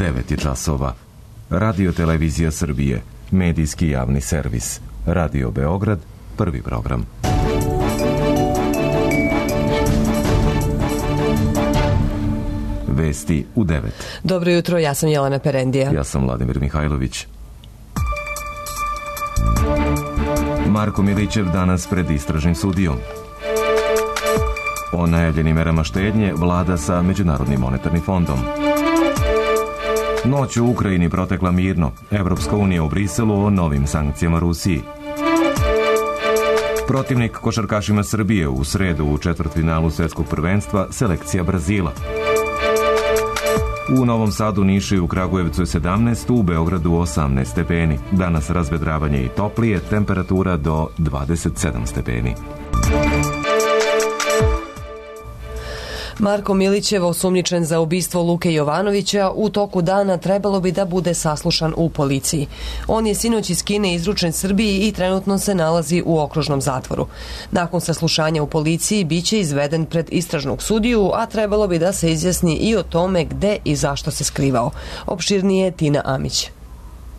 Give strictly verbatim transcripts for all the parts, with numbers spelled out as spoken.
devet časova. Radio Televizija Srbije, medijski javni servis. Radio Beograd, prvi program. Vesti u devet. Dobro jutro, ja sam Jelena Perendija. Ja sam Vladimir Mihajlović. Marko Milićev danas pred istražnim sudijom. O najavljenim merama štednje vlada sa Međunarodnim monetarnim fondom. Noć u Ukrajini protekla mirno. Evropska unija u Briselu o novim sankcijama Rusiji. Protivnik košarkašima Srbije u sredu u četvrtfinalu svjetskog prvenstva selekcija Brazila. U Novom Sadu, Nišu i u Kragujevcu je sedamnaest, u Beogradu osamnaest stepeni. Danas razvedravanje i toplije, temperatura do dvadeset sedam stepeni. Marko Milićev, osumnjičen za ubistvo Luke Jovanovića, u toku dana trebalo bi da bude saslušan u policiji. On je sinoć iz Kine izručen Srbiji i trenutno se nalazi u okružnom zatvoru. Nakon saslušanja u policiji biće izveden pred istražnog sudiju, a trebalo bi da se izjasni i o tome gde i zašto se skrivao. Opširnije Tina Amić.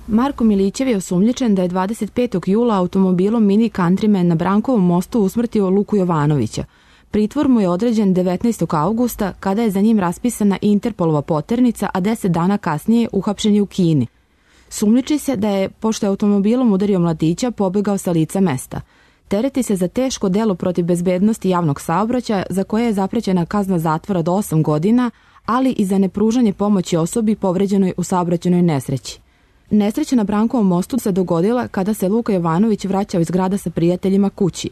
Marko Milićev je osumnjičen da je dvadeset petog jula automobilom Mini Countryman na Brankovom mostu usmrtio Luku Jovanovića. Pritvor mu je određen devetnaestog avgusta kada je za njim raspisana Interpolova poternica, a deset dana kasnije uhapšen je u Kini. Sumnjiči se da je, pošto je automobilom udario mladića, pobegao sa lica mesta. Tereti se za teško delo protiv bezbednosti javnog saobraćaja za koje je zaprećena kazna zatvora do osam godina, ali i za nepružanje pomoći osobi povređenoj u saobraćajnoj nesreći. Nesreća na Brankovom mostu se dogodila kada se Luka Jovanović vraćao iz grada sa prijateljima kući.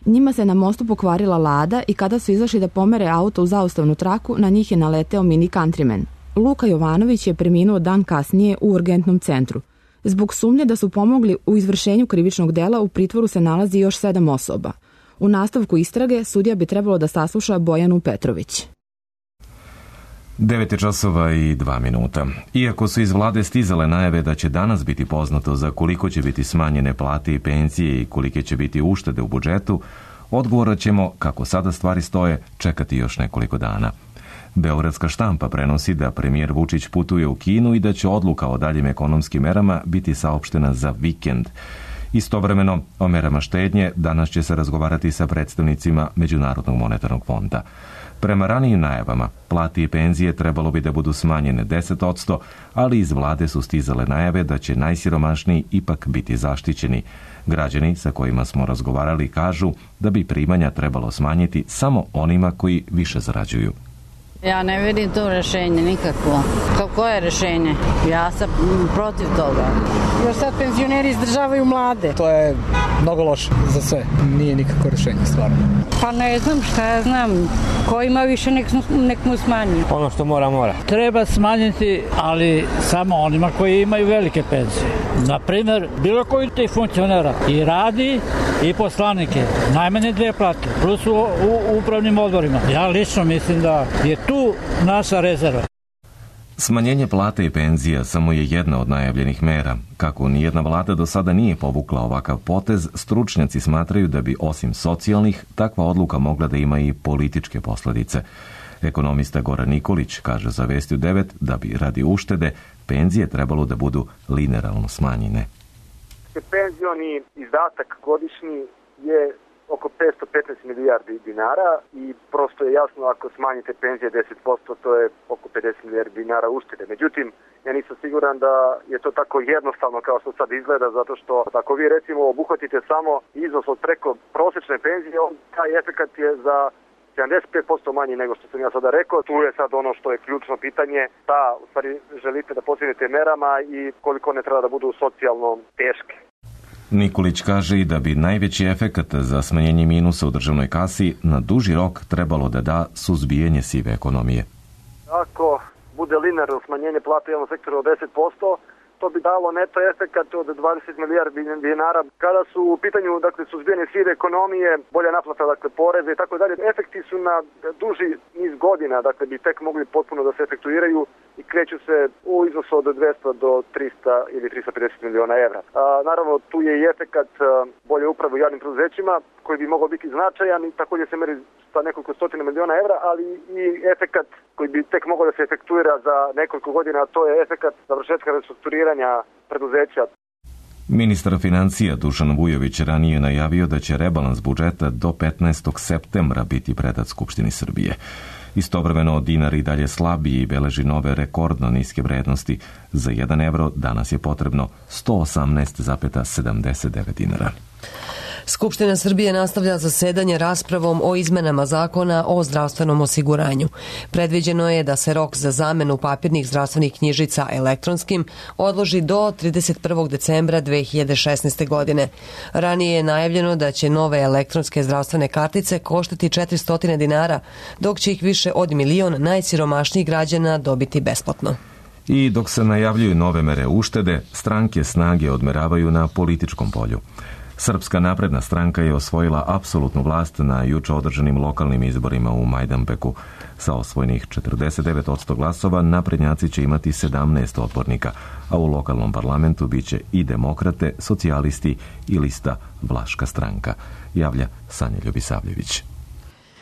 Njima se na mostu pokvarila lada i kada su izašli da pomere auto u zaustavnu traku, na njih je naleteo Mini Countryman. Luka Jovanović je preminuo dan kasnije u urgentnom centru. Zbog sumnje da su pomogli u izvršenju krivičnog dela, u pritvoru se nalazi još sedam osoba. U nastavku istrage sudija bi trebalo da sasluša Bojanu Petrović. devet časova i dva minuta. Iako su iz vlade stizale najave da će danas biti poznato za koliko će biti smanjene plate i penzije i kolike će biti uštede u budžetu, odgovora ćemo, kako sada stvari stoje, čekati još nekoliko dana. Beogradska štampa prenosi da premijer Vučić putuje u Kinu i da će odluka o daljim ekonomskim merama biti saopštena za vikend. Istovremeno, o merama štednje danas će se razgovarati sa predstavnicima Međunarodnog monetarnog fonda. Prema ranijim najavama, plate i penzije trebalo bi da budu smanjene deset odsto, ali iz vlade su stizale najave da će najsiromašniji ipak biti zaštićeni. Građani sa kojima smo razgovarali kažu da bi primanja trebalo smanjiti samo onima koji više zarađuju. Ja ne vidim to rešenje nikakvo. Kako je rešenje? Ja sam protiv toga. Još sad penzioneri izdržavaju mlade. To je mnogo loše za sve. Nije nikako rešenje, stvarno. Pa ne znam šta ja znam. Ko ima više nek, nek mu smanji. Ono što mora, mora. Treba smanjiti, ali samo onima koji imaju velike penzije. Naprimer, bilo koji tih funkcionera i radi i poslanike. Najmanje dve plate. Plus u, u upravnim odborima. Ja lično mislim da je tu naša rezerva. Smanjenje plate i penzija samo je jedna od najavljenih mera. Kako nijedna vlada do sada nije povukla ovakav potez, stručnjaci smatraju da bi osim socijalnih, takva odluka mogla da ima i političke posljedice. Ekonomista Goran Nikolić kaže za Vesti u devet da bi radi uštede penzije trebalo da budu linearno smanjene. Penzioni izdatak godišnji je oko petsto petnaest milijardi dinara i prosto je jasno ako smanjite penzije deset posto, to je oko pedeset milijardi dinara uštede. Međutim, ja nisam siguran da je to tako jednostavno kao što sad izgleda, zato što ako vi recimo obuhvatite samo iznos od preko prosječne penzije, on, taj efekat je za sedamdeset pet posto manji nego što sam ja sada rekao. Tu je sad ono što je ključno pitanje, da u stvari želite da postignete merama i koliko ne treba da budu socijalno teške. Nikolić kaže i da bi najveći efekat za smanjenje minusa u državnoj kasi na duži rok trebalo da da suzbijanje sive ekonomije. Ako bude linearno smanjenje plata u javnom sektoru od deset posto, to bi dalo neto efekat od dvadeset milijardi dinara. Kada su u pitanju dakle suzbijanje sive ekonomije, bolja naplata dakle poreza i tako dalje, efekti su na duži niz godina, dakle bi tek mogli potpuno da se efektuiraju i kreću se u iznosu od dvesta do trista ili trista pedeset miliona evra. A, naravno, tu je i efekat bolje uprave u javnim preduzećima koji bi mogao biti značajan i također se meri sa nekoliko stotina miliona evra, ali i efekat koji bi tek mogao da se efektuira za nekoliko godina, a to je efekat završetka restrukturiranja preduzeća. Ministar financija Dušan Vujović ranije najavio da će rebalans budžeta do petnaestog septembra biti predat Skupštini Srbije. Istovremeno dinar i dalje slabiji i beleži nove rekordno niske vrednosti. Za jedan evro danas je potrebno sto osamnaest zarez sedamdeset devet dinara. Skupština Srbije nastavlja zasedanje raspravom o izmenama zakona o zdravstvenom osiguranju. Predviđeno je da se rok za zamenu papirnih zdravstvenih knjižica elektronskim odloži do trideset prvog decembra dve hiljade šesnaeste. godine. Ranije je najavljeno da će nove elektronske zdravstvene kartice koštati četiristo dinara, dok će ih više od milion najsiromašnijih građana dobiti besplatno. I dok se najavljuju nove mere uštede, stranke snage odmeravaju na političkom polju. Srpska napredna stranka je osvojila apsolutnu vlast na juče održanim lokalnim izborima u Majdanpeku. Sa osvojenih četrdeset devet posto glasova naprednjaci će imati sedamnaest odbornika, a u lokalnom parlamentu biće i demokrate, socijalisti i lista Vlaška stranka, javlja Sanja Ljubisavljević.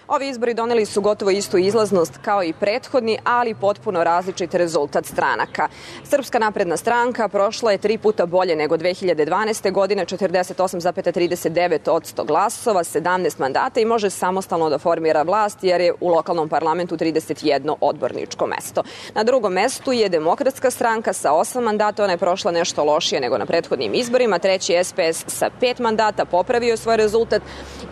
Ovi izbori doneli su gotovo istu izlaznost kao i prethodni, ali potpuno različit rezultat stranaka. Srpska napredna stranka prošla je tri puta bolje nego dve hiljade dvanaeste. godine, četrdeset osam zarez trideset devet posto glasova, sedamnaest mandata i može samostalno da formira vlast jer je u lokalnom parlamentu trideset jedno odborničko mesto. Na drugom mestu je Demokratska stranka sa osam mandata, ona je prošla nešto lošije nego na prethodnim izborima. Treći je S P S sa pet mandata, popravio svoj rezultat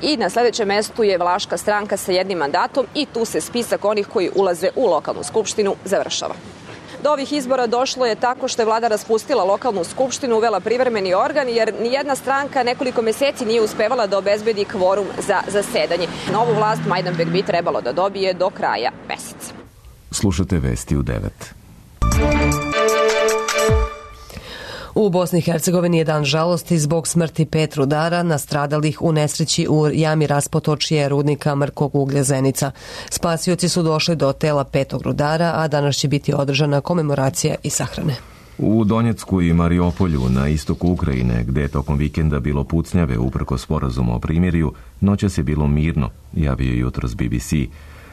i na sledećem mestu je Vlaška stranka sa jednim mandatom i tu se spisak onih koji ulaze u lokalnu skupštinu završava. Do ovih izbora došlo je tako što je vlada raspustila lokalnu skupštinu, uvela privremeni organ, jer nijedna stranka nekoliko meseci nije uspevala da obezbedi kvorum za zasedanje. Novu vlast Majdanpek bi trebalo da dobije do kraja meseca. Slušate vesti u devet. U Bosni i Hercegovini je dan žalosti zbog smrti pet rudara nastradalih u nesreći u jami raspotočije rudnika mrkog uglja Zenica. Spasioci su došli do tela petog rudara, a danas će biti održana komemoracija i sahrane. U Donjecku i Mariupolju na istoku Ukrajine, gde je tokom vikenda bilo pucnjave uprkos sporazumu o primirju, noćas je bilo mirno, javio jutros B B C.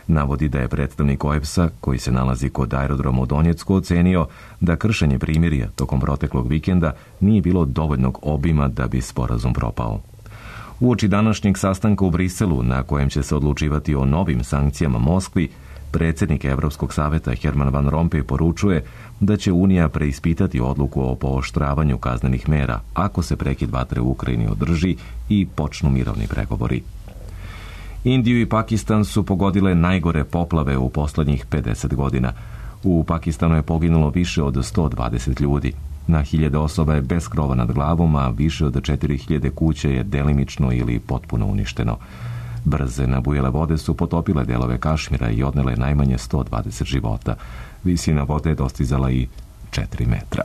Navodi da je predstavnik O E B S-a, koji se nalazi kod aerodroma u Donjecku, ocenio da kršenje primirja tokom proteklog vikenda nije bilo dovoljnog obima da bi sporazum propao. Uoči današnjeg sastanka u Briselu, na kojem će se odlučivati o novim sankcijama Moskvi, predsjednik Evropskog saveta Herman Van Rompuy poručuje da će Unija preispitati odluku o pooštravanju kaznenih mera ako se prekid vatre u Ukrajini održi i počnu mirovni pregovori. Indiju i Pakistan su pogodile najgore poplave u poslednjih pedeset godina. U Pakistanu je poginulo više od sto dvadeset ljudi. Na hiljade osoba je bez krova nad glavom, a više od četiri hiljade kuća je delimično ili potpuno uništeno. Brze nabujele vode su potopile delove Kašmira i odnele najmanje sto dvadeset života. Visina vode je dostizala i četiri metra.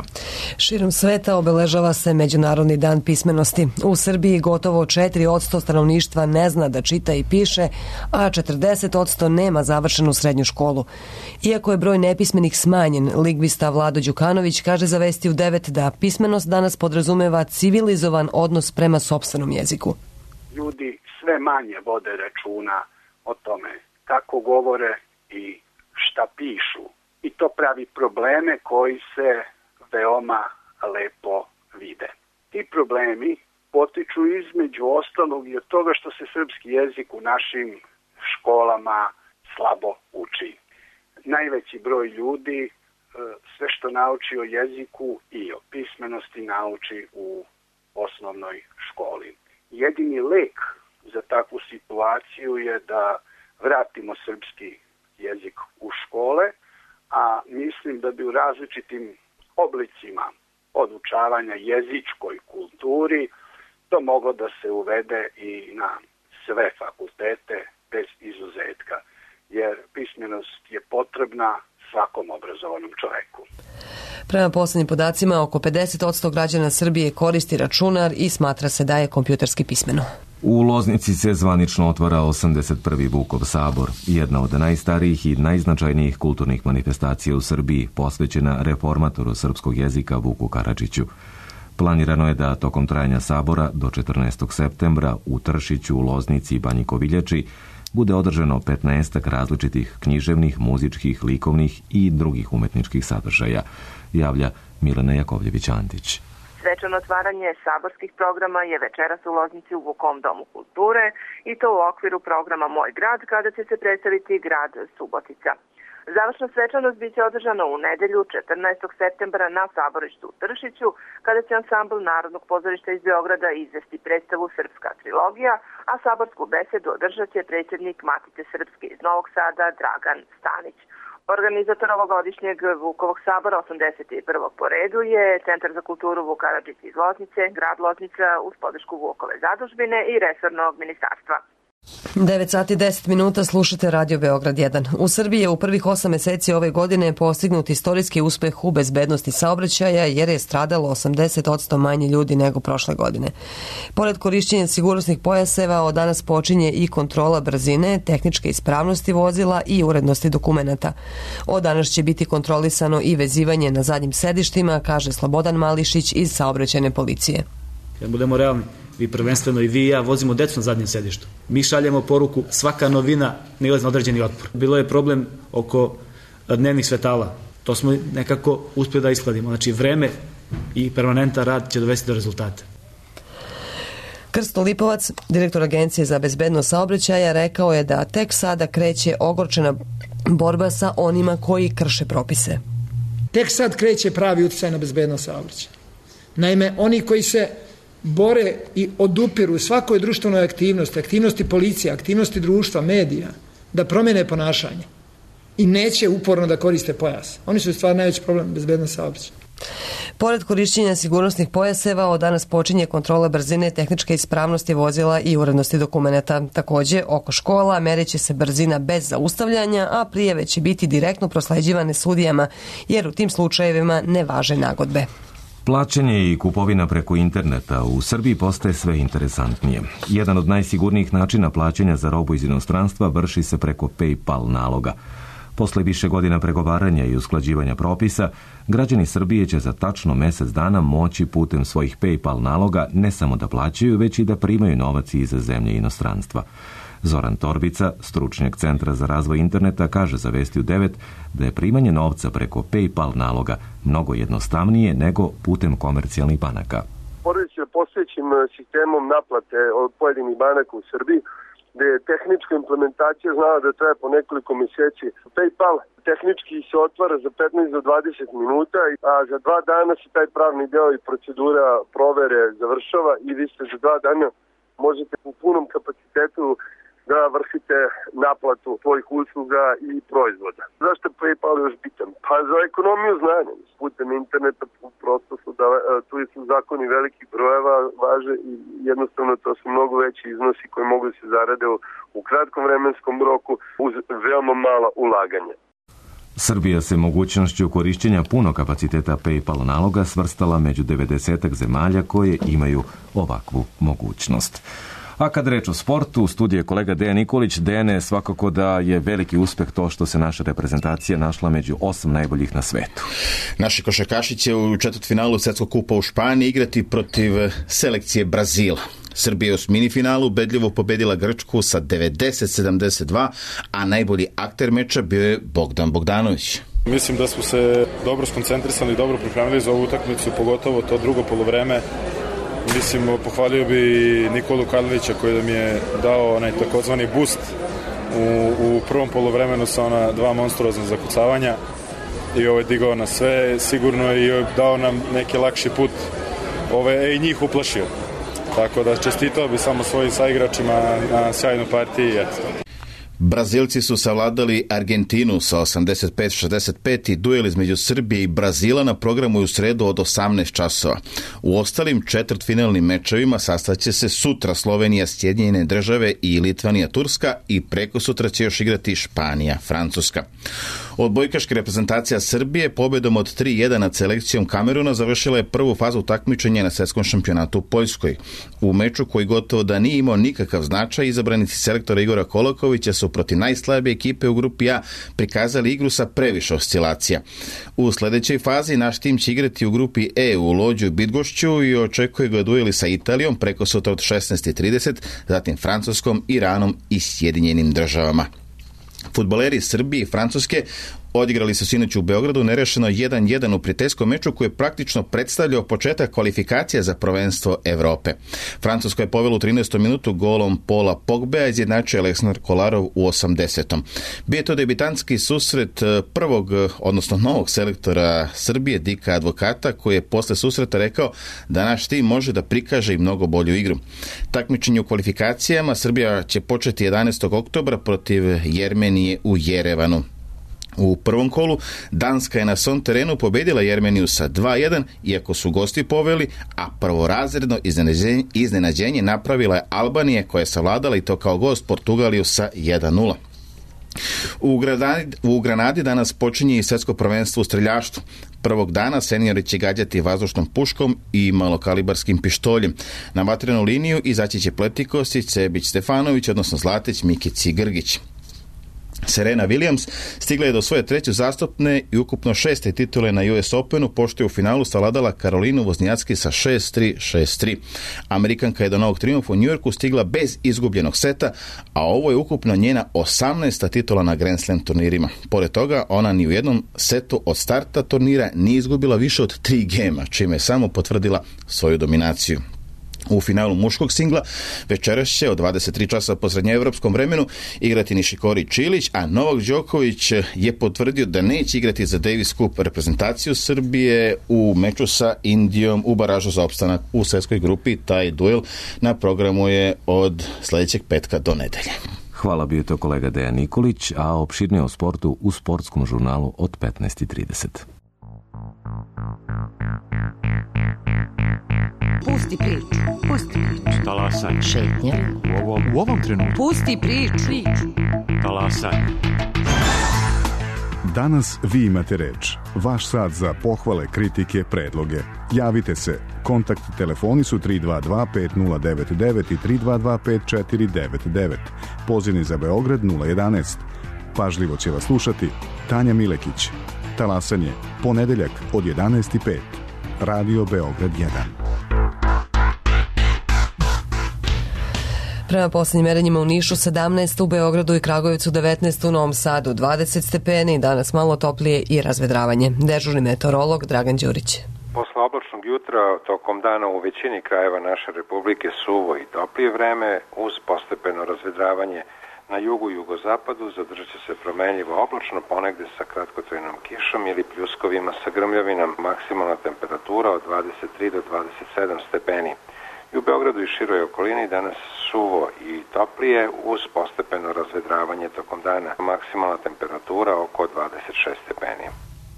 Širom sveta obeležava se Međunarodni dan pismenosti. U Srbiji gotovo četiri posto stanovništva ne zna da čita i piše, a četrdeset posto nema završenu srednju školu. Iako je broj nepismenih smanjen, lingvista Vlado Đukanović kaže za Vesti u devet da pismenost danas podrazumeva civilizovan odnos prema sopstvenom jeziku. Ljudi sve manje vode računa o tome kako govore i šta pišu. I to pravi probleme koji se veoma lepo vide. Ti problemi potiču između ostalog i od toga što se srpski jezik u našim školama slabo uči. Najveći broj ljudi sve što nauči o jeziku i o pismenosti nauči u osnovnoj školi. Jedini lek za takvu situaciju je da vratimo srpski jezik u škole, a mislim da bi u različitim oblicima odučavanja jezičkoj kulturi to moglo da se uvede i na sve fakultete bez izuzetka, jer pismenost je potrebna svakom obrazovanom čoveku. Prema poslednjim podacima, oko pedeset posto građana Srbije koristi računar i smatra se da je kompjuterski pismeno. U Loznici se zvanično otvara osamdeset prvi Vukov sabor, jedna od najstarijih i najznačajnijih kulturnih manifestacija u Srbiji, posvećena reformatoru srpskog jezika Vuku Karadžiću. Planirano je da tokom trajanja sabora do četrnaestog septembra u Tršiću, Loznici i Banji Koviljači bude održano petnaestak različitih književnih, muzičkih, likovnih i drugih umetničkih sadržaja, javlja Milena Jakovljević-Antić. Svečano otvaranje saborskih programa je večeras u Loznici u Vukom domu kulture i to u okviru programa Moj grad, kada će se predstaviti grad Subotica. Završna svečanost biće održana u nedelju četrnaestog septembra na Saborištu u Tršiću, kada će ansambl Narodnog pozorišta iz Beograda izvesti predstavu Srpska trilogija, a saborsku besedu održat će predsjednik Matice Srpske iz Novog Sada Dragan Stanić. Organizator ovogodišnjeg Vukovog sabora osamdeset prvog po redu je Centar za kulturu Vuk Karadžić iz Loznice, grad Loznica uz podršku Vukove zadužbine i resornog ministarstva. devet sati deset minuta, slušate Radio Beograd jedan. U Srbiji je u prvih osam meseci ove godine postignut istorijski uspeh u bezbednosti saobraćaja jer je stradalo osamdeset posto manje ljudi nego prošle godine. Pored korišćenja sigurnosnih pojaseva, od danas počinje i kontrola brzine, tehničke ispravnosti vozila i urednosti dokumenata. Od danas će biti kontrolisano i vezivanje na zadnjim sedištima, kaže Slobodan Mališić iz saobraćajne policije. Kad budemo realni, vi prvenstveno i vi i ja vozimo decu na zadnjem sedištu. Mi šaljemo poruku, svaka novina nailazi na određeni otpor. Bilo je problem oko dnevnih svetala. To smo nekako uspjeli da iskladimo. Znači, vreme i permanentan rad će dovesti do rezultata. Krsto Lipovac, direktor Agencije za bezbednost saobraćaja, rekao je da tek sada kreće ogorčena borba sa onima koji krše propise. Tek sad kreće pravi utjecaj na bezbednost saobraćaja. Naime, oni koji se bore i odupiru svakoj društvenoj aktivnosti, aktivnosti policije, aktivnosti društva, medija, da promene ponašanje i neće uporno da koriste pojas. Oni su stvar najveći problem bezbednosti saobraćaja. Pored korišćenja sigurnosnih pojaseva, od danas počinje kontrola brzine, tehničke ispravnosti vozila i urednosti dokumenata. Takođe, oko škola meriće se brzina bez zaustavljanja, a prijave će biti direktno prosleđivane sudijama, jer u tim slučajevima ne važe nagodbe. Plaćanje i kupovina preko interneta u Srbiji postaje sve interesantnije. Jedan od najsigurnijih načina plaćanja za robu iz inostranstva vrši se preko PayPal naloga. Posle više godina pregovaranja i usklađivanja propisa, građani Srbije će za tačno mesec dana moći putem svojih PayPal naloga ne samo da plaćaju, već i da primaju novac iz zemlje i inostranstva. Zoran Torbica, stručnjak Centra za razvoj interneta, kaže za Vesti u devet da je primanje novca preko PayPal naloga mnogo jednostavnije nego putem komercijalnih banaka. Poredeći sa postojećim sistemom naplate od pojedinih banaka u Srbiji, gde je tehnička implementacija znala da traje po nekoliko mjeseci, PayPal tehnički se otvara za petnaest do dvadeset minuta, a za dva dana se taj pravni deo i procedura provere završava i vi ste za dva dana možete u punom kapacitetu da vršite naplatu svojih usluga i proizvoda. Zašto je PayPal još bitan? Pa za ekonomiju znanja. Putem interneta prosto su da, tu su zakoni velikih brojeva, važe i jednostavno to su mnogo veći iznosi koji mogu se zarade u, u kratkom vremenskom roku uz veoma mala ulaganja. Srbija se mogućnošću korišćenja puno kapaciteta PayPal naloga svrstala među devedesetak zemalja koje imaju ovakvu mogućnost. A kad reč o sportu, u studiju je kolega Dejan Nikolić. Dejane, svakako da je veliki uspeh to što se naša reprezentacija našla među osam najboljih na svetu. Naši košarkaši će u četvrtfinalu Svetskog kupa u Španiji igrati protiv selekcije Brazila. Srbija je u minifinalu ubedljivo pobedila Grčku sa devedeset sedamdeset dva, a najbolji akter meča bio je Bogdan Bogdanović. Mislim da smo se dobro skoncentrisali i dobro pripremili za ovu utakmicu, pogotovo to drugo poluvreme. Mislim, pohvalio bi Nikolu Karlovića koji da mi je dao onaj takozvani boost u, u prvom poluvremenu sa ona dva monstruozna zakucavanja i ovaj digao na sve sigurno i dao nam neki lakši put ove, i njih uplašio. Tako da čestitao bi samo svojim saigračima na sjajnu partiju i eto. Brazilci su savladali Argentinu sa osamdeset pet šezdeset pet i duel između Srbije i Brazila na programu je u sredu od osamnaest časova. U ostalim četvrtfinalnim mečevima sastaće se sutra Slovenija, Sjedinjene Države i Litvanija, Turska i preko sutra će još igrati Španija, Francuska. Odbojkaška reprezentacija Srbije pobjedom od tri jedan nad selekcijom Kameruna završila je prvu fazu takmičenja na svjetskom šampionatu u Poljskoj. U meču koji gotovo da nije imao nikakav značaj, izabranici selektora Igora Kolakovića su protiv najslabije ekipe u grupi A prikazali igru sa previše oscilacija. U sljedećoj fazi naš tim će igrati u grupi E u Lođu i Bydgošću i očekuje ga dueli sa Italijom preko sutra od šesnaest i trideset, zatim Francuskom, Iranom i Sjedinjenim državama. Fudbaleri iz Srbije i Francuske odigrali su sinoć u Beogradu nerešeno jedan jedan u prijateljskom meču koji je praktično predstavljao početak kvalifikacija za prvenstvo Evrope. Francuska je povela u trinaestom minutu golom Paula Pogbea, izjednačio Aleksandar Kolarov u osamdesetom. Bio je to debitanski susret prvog, odnosno novog selektora Srbije, Dika Advokata, koji je posle susreta rekao da naš tim može da prikaže i mnogo bolju igru. Takmičenje u kvalifikacijama Srbija će početi jedanaestog oktobra protiv Jermenije u Jerevanu. U prvom kolu Danska je na svom terenu pobedila Jermeniju sa dva jedan, iako su gosti poveli, a prvorazredno iznenađenje, iznenađenje napravila je Albanija, koja je savladala i to kao gost Portugaliju sa jedan nula. U Granadi, u Granadi danas počinje i svjetsko prvenstvo u streljaštvu. Prvog dana seniori će gađati vazdušnom puškom i malokalibarskim pištoljem. Na vatrenu liniju izaći će Pletikostić, Cebić, Stefanović, odnosno Zlateć, Mikić i Grgić. Serena Williams stigla je do svoje treće zastupne i ukupno šeste titule na U S Openu, pošto je u finalu savladala Karolinu Voznjacki sa šest tri šest tri. Amerikanka je do novog triumfa u Njujorku stigla bez izgubljenog seta, a ovo je ukupno njena osamnaesta titula na Grand Slam turnirima. Pored toga, ona ni u jednom setu od starta turnira nije izgubila više od tri gema, čime je samo potvrdila svoju dominaciju. U finalu muškog singla večeras će od dvadeset tri časa po srednjeevropskom vremenu igrati Nišikori Čilić, a Novak Đoković je potvrdio da neće igrati za Davis Cup reprezentaciju Srbije u meču sa Indijom u baražu za opstanak u svjetskoj grupi. Taj duel na programu je od sljedećeg petka do nedelje. Hvala, bio to kolega Dejan Nikolić, a opširnije o sportu u sportskom žurnalu od petnaest i trideset. Pusti priču, pusti priču. Talasaj. Šetnja. U ovom, u ovom trenutku. Pusti priču. Talasaj. Danas vi imate reč. Vaš sat za pohvale, kritike, predloge. Javite se. Kontakt telefoni su tri dva dva pet nula devet devet i tri dva dva pet četiri devet devet. Pozivni za Beograd nula jedanaest. Pažljivo će vas slušati Tanja Milekić. Talasanje, ponedeljak od jedanaest i pet. Radio Beograd jedan. Prema posljednjim merenjima u Nišu sedamnaest, u Beogradu i Kragujevcu devetnaest, u Novom Sadu dvadeset stepeni, danas malo toplije i razvedravanje. Dežurni meteorolog Dragan Đurić. Posle oblačnog jutra tokom dana u većini krajeva naše republike suvo i toplije vreme uz postepeno razvedravanje. Na jugu i jugozapadu zadržat će se promenljivo oblačno, ponegde sa kratkotrajnom kišom ili pljuskovima sa grmljavinom, maksimalna temperatura od dvadeset tri do dvadeset sedam stepeni. I u Beogradu i široj okolini danas suvo i toplije uz postepeno razvedravanje tokom dana, maksimalna temperatura oko dvadeset šest stepeni.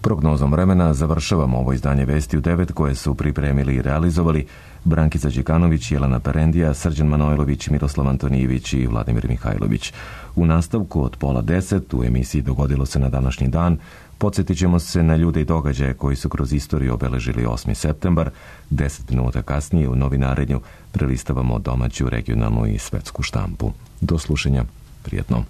Prognozom vremena završavamo ovo izdanje Vesti u devet koje su pripremili i realizovali Brankica Đekanović, Jelena Perendija, Srđan Manojlović, Miroslav Antonijević i Vladimir Mihajlović. U nastavku od pola deset u emisiji Dogodilo se na današnji dan podsjetit ćemo se na ljude i događaje koji su kroz istoriju obeležili osmi septembar. Deset minuta kasnije u novinarenju prelistavamo domaću, regionalnu i svetsku štampu. Do slušanja. Prijetno.